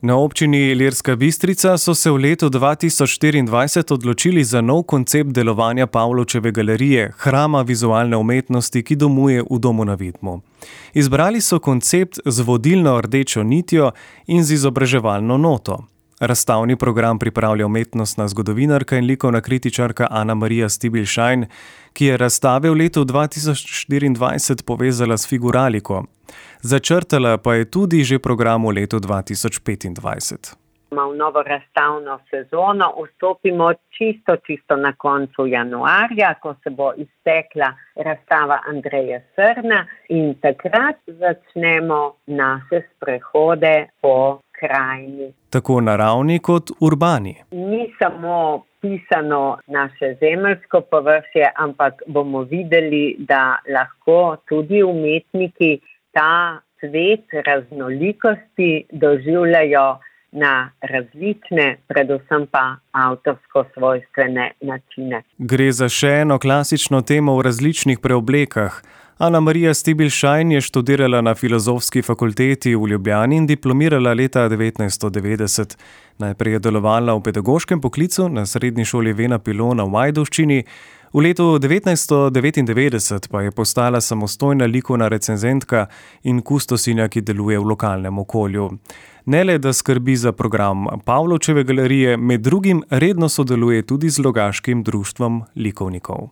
Na občini Ilirska Bistrica so se v letu 2024 odločili za nov koncept delovanja Pavlovčeve galerije, hrama vizualne umetnosti, ki domuje v domu na Vidmu. Izbrali so koncept z vodilno rdečo nitjo in z izobraževalno noto. Razstavni program pripravlja umetnostna zgodovinarka in likovna kritičarka Ana-Marija Stibilšajn, ki je razstave v letu 2024 povezala s figuraliko. Začrtala pa je tudi že program v letu 2025. V novo razstavno sezono vstopimo čisto na koncu januarja, ko se bo iztekla razstava Andreje Srna in takrat začnemo naše sprehode po krajini. Tako naravni kot urbani. Ni samo pisano naše zemeljsko površje, ampak bomo videli, da lahko tudi umetniki ta svet raznolikosti doživljajo na različne, predvsem pa avtorsko svojstvene načine. Gre za še eno klasično temo v različnih preoblekah. Ana-Marija Stibilšajn je študirala na Filozofski fakulteti v Ljubljani in diplomirala leta 1990. Najprej je delovala v pedagoškem poklicu na srednji šoli Vena Pilona v Ajdovščini. V letu 1999 pa je postala samostojna likovna recenzentka in kustosinja, ki deluje v lokalnem okolju. Ne le, da skrbi za program Pavlovčeve galerije, med drugim redno sodeluje tudi z Logaškim društvom likovnikov.